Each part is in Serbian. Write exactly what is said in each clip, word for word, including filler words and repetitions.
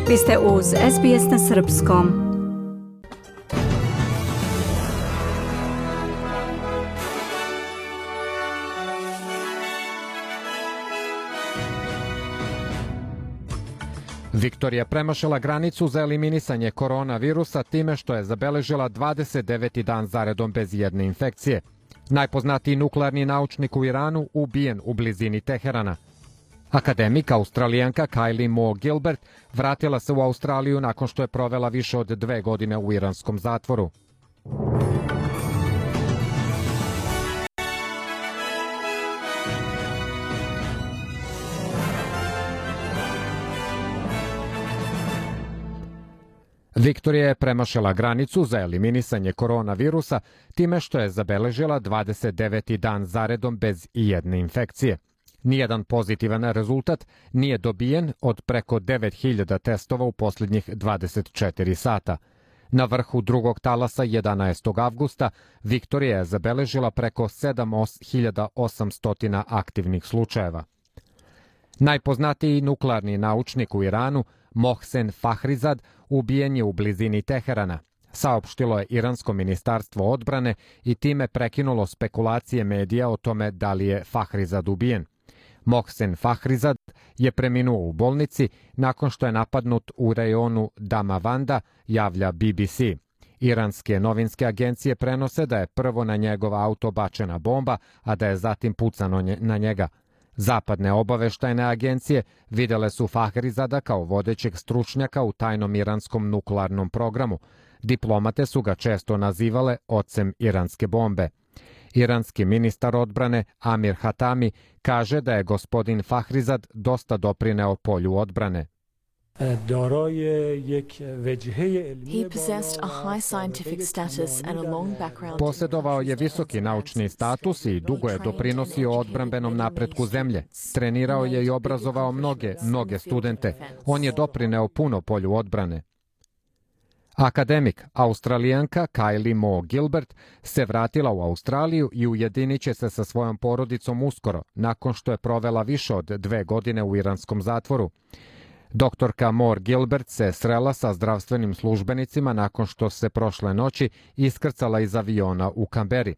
Vi ste uz S B S na srpskom. Viktorija premašila granicu za eliminisanje koronavirusa time što je zabeležila dvadeset deveti dan zaredom bez jedne infekcije. Najpoznatiji nuklearni naučnik u Iranu ubijen u blizini Teherana. Akademik Australijanka Kylie Moore Gilbert vratila se u Australiju nakon što je provela više od dve godine u iranskom zatvoru. Viktorija je premašila granicu za eliminisanje koronavirusa time što je zabeležila dvadeset deveti dan zaredom bez ijedne infekcije. Nijedan pozitivan rezultat nije dobijen od preko devet hiljada testova u posljednjih dvadeset četiri sata. Na vrhu drugog talasa jedanaestog avgusta Viktorija je zabeležila preko sedam hiljada osamsto aktivnih slučajeva. Najpoznatiji nuklearni naučnik u Iranu, Mohsen Fakhrizad, ubijen je u blizini Teherana, saopštilo je Iransko ministarstvo odbrane i time prekinulo spekulacije medija o tome da li je Fakhrizad ubijen. Mohsen Fakhrizad je preminuo u bolnici nakon što je napadnut u rejonu Damavanda, javlja B B C. Iranske novinske agencije prenose da je prvo na njegov auto bačena bomba, a da je zatim pucano na njega. Zapadne obaveštajne agencije videle su Fakhrizada kao vodećeg stručnjaka u tajnom iranskom nuklearnom programu. Diplomate su ga često nazivale ocem iranske bombe. Iranski ministar odbrane Amir Hatami kaže da je gospodin Fakhrizad dosta doprineo polju odbrane. He possessed a high scientific status and a long background. Posjedovao je visoki naučni status i dugo je doprinosio odbrambenom napretku zemlje. Trenirao je i obrazovao mnoge, mnoge studente. On je doprineo puno polju odbrane. Akademik, Australijanka Kylie Moore Gilbert se vratila u Australiju i ujedinit će se sa svojom porodicom uskoro, nakon što je provela više od dve godine u iranskom zatvoru. Doktorka Moore Gilbert se srela sa zdravstvenim službenicima nakon što se prošle noći iskrcala iz aviona u Kamberi.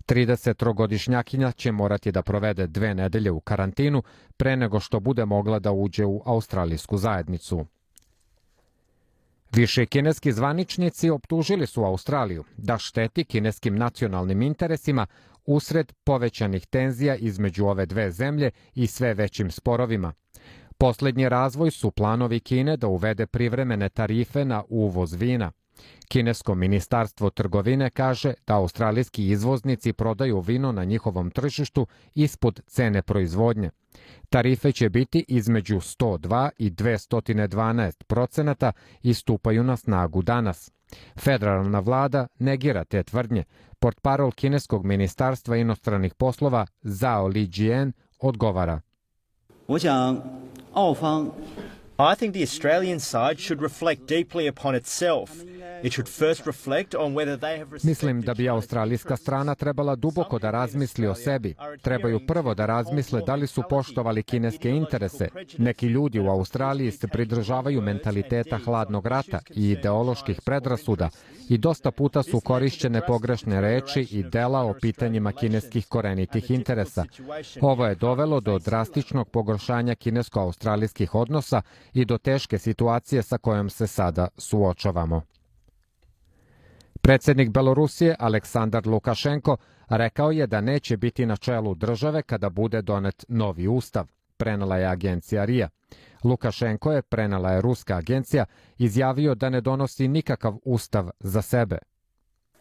tridesettrogodišnjakinja će morati da provede dve nedelje u karantinu pre nego što bude mogla da uđe u australijsku zajednicu. Više kineski zvaničnici optužili su Australiju da šteti kineskim nacionalnim interesima usred povećanih tenzija između ove dve zemlje i sve većim sporovima. Poslednji razvoj su planovi Kine da uvede privremene tarife na uvoz vina. Kinesko ministarstvo trgovine kaže da australijski izvoznici prodaju vino na njihovom tržištu ispod cene proizvodnje. Tarife će biti između sto dva i dvesta dvanaest procenata i stupaju na snagu danas. Federalna vlada negira te tvrdnje. Portparol kineskog ministarstva inostranih poslova Zhao Lijian odgovara. I think the Australian side should reflect deeply upon itself. It should first reflect on whether they have Mislim da bi australijska strana trebala duboko da razmisli o sebi. Trebaju prvo da razmisle da li su poštovali kineske interese. Neki ljudi u Australiji se pridržavaju mentaliteta hladnog rata i ideoloških predrasuda i dosta puta su korišćene pogrešne reči i dela o pitanjima kineskih korenitih interesa. Ovo je dovelo do drastičnog pogoršanja kinesko-australijskih odnosa i do teške situacije sa kojom se sada suočavamo. Predsjednik Belorusije Aleksandar Lukašenko rekao je da neće biti na čelu države kada bude donet novi ustav, prenela je agencija R I A. Lukašenko je, prenela je ruska agencija, izjavio da ne donosi nikakav ustav za sebe.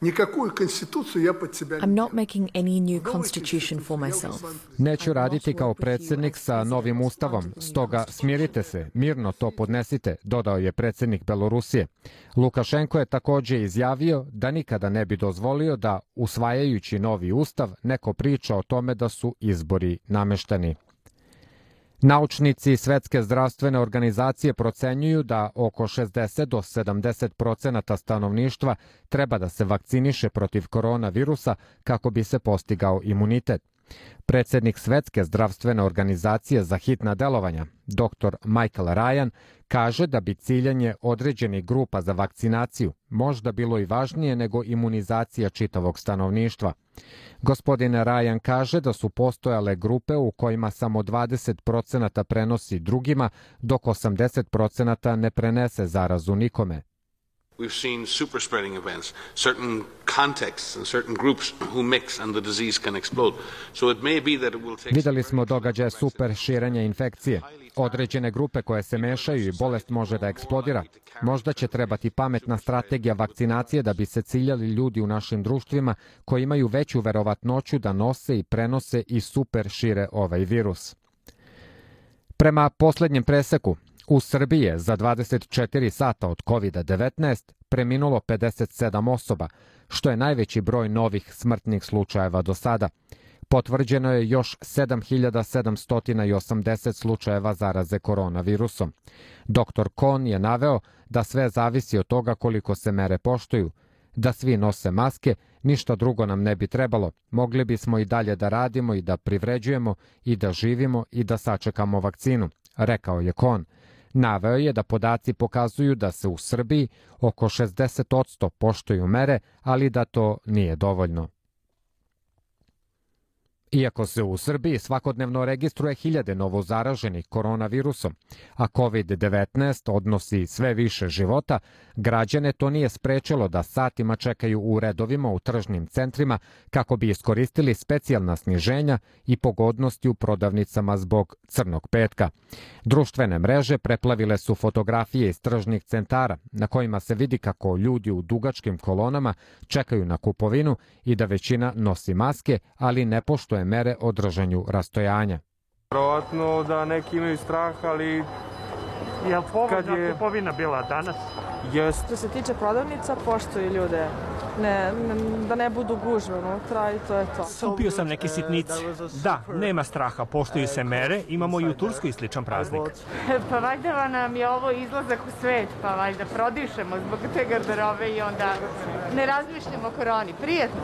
I'm not making any new constitution for myself. Neću raditi kao predsjednik sa novim ustavom, stoga smirite se, mirno to podnesite, dodao je predsjednik Belorusije. Lukašenko je također izjavio da nikada ne bi dozvolio da, usvajajući novi ustav, neko priča o tome da su izbori namešteni. Naučnici Svetske zdravstvene organizacije procenjuju da oko šezdeset do sedamdeset procenata stanovništva treba da se vakciniše protiv koronavirusa kako bi se postigao imunitet. Predsednik Svetske zdravstvene organizacije za hitna delovanja, doktor Michael Ryan, kaže da bi ciljanje određenih grupa za vakcinaciju možda bilo i važnije nego imunizacija čitavog stanovništva. Gospodin Ryan kaže da su postojale grupe u kojima samo dvadeset procenata prenosi drugima, dok osamdeset procenata ne prenese zarazu nikome. We've seen super spreading events, certain contexts and certain groups who mix and the disease can explode. So it may be that it will take... Videli smo događaje super širenja infekcije. Određene grupe koje se mešaju i bolest može da eksplodira. Možda će trebati pametna strategija vakcinacije da bi se ciljali ljudi u našim društvima koji imaju veću verovatnoću da nose i prenose i super šire ovaj virus. Prema poslednjem preseku, u Srbiji je za dvadeset četiri sata od kovid devetnaest preminulo pedeset sedam osoba, što je najveći broj novih smrtnih slučajeva do sada. Potvrđeno je još sedam hiljada sedamsto osamdeset slučajeva zaraze koronavirusom. doktor Kon je naveo da sve zavisi od toga koliko se mere poštuju. Da svi nose maske, ništa drugo nam ne bi trebalo. Mogli bismo i dalje da radimo i da privređujemo i da živimo i da sačekamo vakcinu, rekao je Kon. Naveo je da podaci pokazuju da se u Srbiji oko šezdeset posto poštuju mere, ali da to nije dovoljno. Iako se u Srbiji svakodnevno registruje hiljade novozaraženih koronavirusom, a kovid devetnaest odnosi sve više života, građane to nije sprečilo da satima čekaju u redovima u tržnim centrima kako bi iskoristili specijalna sniženja i pogodnosti u prodavnicama zbog crnog petka. Društvene mreže preplavile su fotografije iz tržnih centara na kojima se vidi kako ljudi u dugačkim kolonama čekaju na kupovinu i da većina nosi maske, ali ne poštuje mere o držanju rastojanja. Verovatno da neki imaju strah, ali... Je li povoljna kupovina bila danas? Jest. Što se tiče prodavnica, poštuju ljude. Ne, da ne budu gužve unutra i to je to. Kupio sam neke sitnice. Da, nema straha, poštuju se mere, imamo i u Turskoj sličan praznik. Pa valjda nam je ovo izlazak u svet, pa valjda prodišemo zbog te garderobe i onda ne razmišljamo o koroni. Prijetno.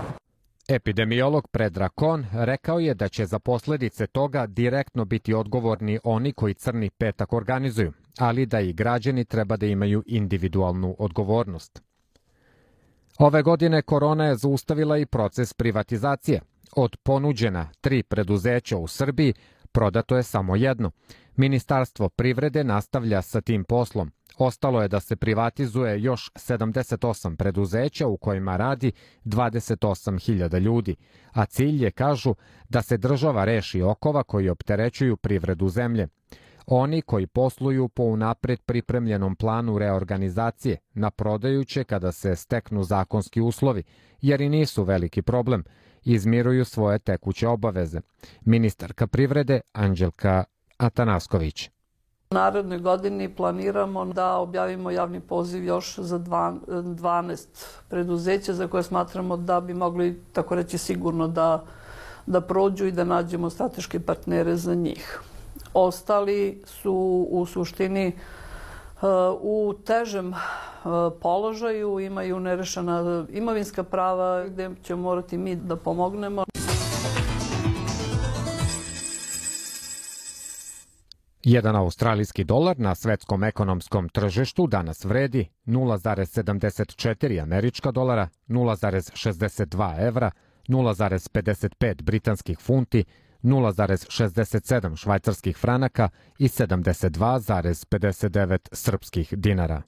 Epidemiolog Predrag Kon rekao je da će za posledice toga direktno biti odgovorni oni koji crni petak organizuju, ali da i građani treba da imaju individualnu odgovornost. Ove godine korona je zaustavila i proces privatizacije. Od ponuđena tri preduzeća u Srbiji prodato je samo jedno. Ministarstvo privrede nastavlja sa tim poslom. Ostalo je da se privatizuje još sedamdeset osam preduzeća u kojima radi dvadeset osam hiljada ljudi, a cilj je, kažu, da se država reši okova koji opterećuju privredu zemlje. Oni koji posluju po unapred pripremljenom planu reorganizacije na prodajuće kada se steknu zakonski uslovi, jer i nisu veliki problem, izmiruju svoje tekuće obaveze. Ministarka privrede Anđelka Atanasković. U narednoj godini planiramo da objavimo javni poziv još za dvanaest preduzeća za koje smatramo da bi mogli, tako reći, sigurno da, da prođu i da nađemo strateške partnere za njih. Ostali su u suštini u težem položaju, imaju nerešena imovinska prava gde ćemo morati mi da pomognemo. Jedan australijski dolar na svetskom ekonomskom tržištu danas vredi nula zarez sedamdeset četiri američka dolara, nula zarez šezdeset dva evra, nula zarez pedeset pet britanskih funti, nula zarez šezdeset sedam švajcarskih franaka i sedamdeset dva zarez pedeset devet srpskih dinara.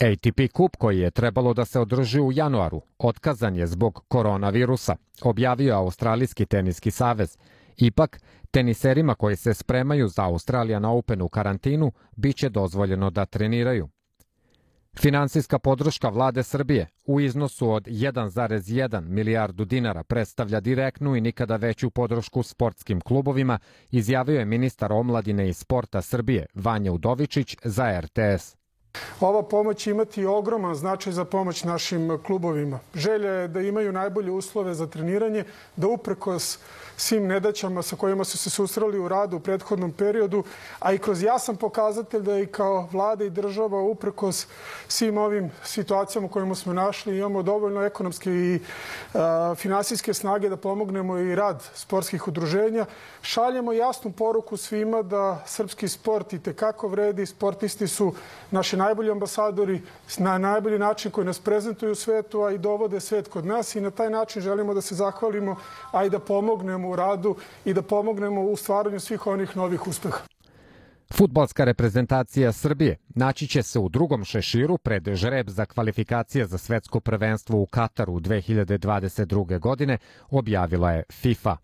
A T P kup koji je trebalo da se održi u januaru otkazan je zbog koronavirusa, objavio Australijski teniski savez. Ipak, teniserima koji se spremaju za Australian Open u karantinu biće dozvoljeno da treniraju. Finansijska podrška vlade Srbije u iznosu od jedan zarez jedan milijardu dinara predstavlja direktnu i nikada veću podršku sportskim klubovima, izjavio je ministar omladine i sporta Srbije Vanja Udovičić za R T S. Ova pomoć će imati ogroman značaj za pomoć našim klubovima. Želja je da imaju najbolje uslove za treniranje, da uprkos svim nedaćama sa kojima su se susreli u radu u prethodnom periodu, a i kroz jasan pokazatelj da i kao vlada i država uprkos svim ovim situacijama u kojima smo našli imamo dovoljno ekonomske i a, finansijske snage da pomognemo i rad sportskih udruženja. Šaljemo jasnu poruku svima da srpski sport i tekako vredi, sportisti su naši najbolji ambasadori na najbolji način koji nas prezentuju u svetu, a i dovode svet kod nas i na taj način želimo da se zahvalimo, a i da pomognemo u radu i da pomognemo u stvaranju svih onih novih uspeha. Fudbalska reprezentacija Srbije naći će se u drugom šeširu pred žreb za kvalifikacije za svetsko prvenstvo u Kataru dve hiljade dvadeset druge. godine, objavila je FIFA.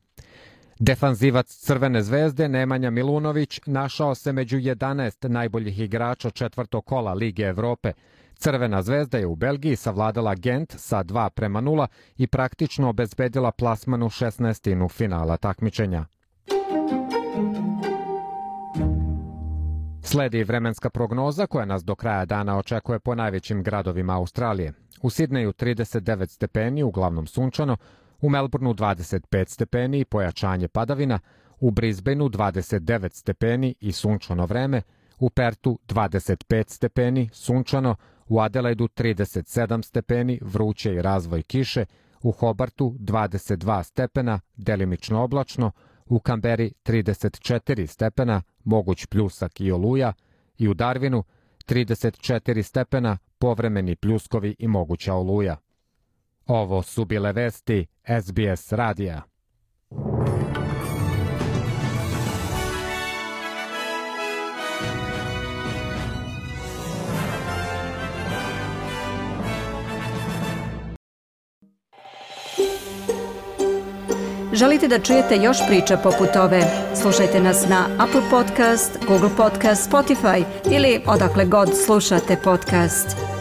Defanzivac Crvene zvezde Nemanja Milunović našao se među jedanaest najboljih igrača četvrtog kola Lige Evrope. Crvena zvezda je u Belgiji savladala Gent sa dva prema nula i praktično obezbedila plasman u šesnaestinu finala takmičenja. Sledi vremenska prognoza koja nas do kraja dana očekuje po najvećim gradovima Australije. U Sidneju trideset devet stepeni, uglavnom sunčano, u Melbourneu dvadeset pet stepeni i pojačanje padavina, u Brisbaneu dvadeset devet stepeni i sunčano vreme, u Pertu dvadeset pet stepeni, sunčano, u Adelaidu trideset sedam stepeni, vruće i razvoj kiše, u Hobartu dvadeset dva stepena, delimično oblačno, u Kamberi trideset četiri stepena, moguć pljusak i oluja, i u Darwinu trideset četiri stepena, povremeni pljuskovi i moguća oluja. Ovo su bile vesti S B S radija. Želite da čujete još priča poput ove? Slušajte nas na Apple Podcast, Google Podcast, Spotify ili odakle god slušate podcast.